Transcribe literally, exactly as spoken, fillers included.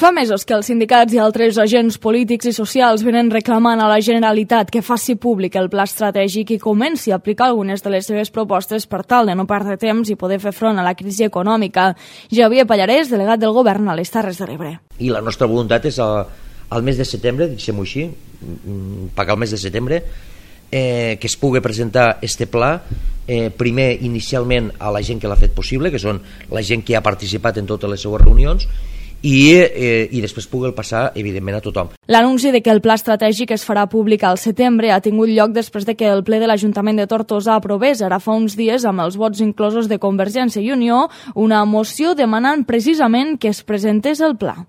Fa mesos que els sindicats i altres agents polítics i socials venen reclamant a la Generalitat que faci públic el pla estratègic i comenci a aplicar algunes de les seves propostes per tal de no perdre temps i poder fer front a la crisi econòmica. Javier Pallarès, delegat del Govern a les Terres de l'Ebre. I la nostra voluntat és al, al mes de setembre, deixem-ho així, pagar el mes de setembre, eh, que es pugui presentar este pla, eh, primer inicialment a la gent que l'ha fet possible, que són la gent que ha participat en totes les seues reunions, i, eh, i després pugui passar, evidentment, a tothom. L'anunci de que el pla estratègic es farà públic al setembre ha tingut lloc després de que el ple de l'Ajuntament de Tortosa aprovés ara fa uns dies, amb els vots inclosos de Convergència i Unió, una moció demanant precisament que es presentés el pla.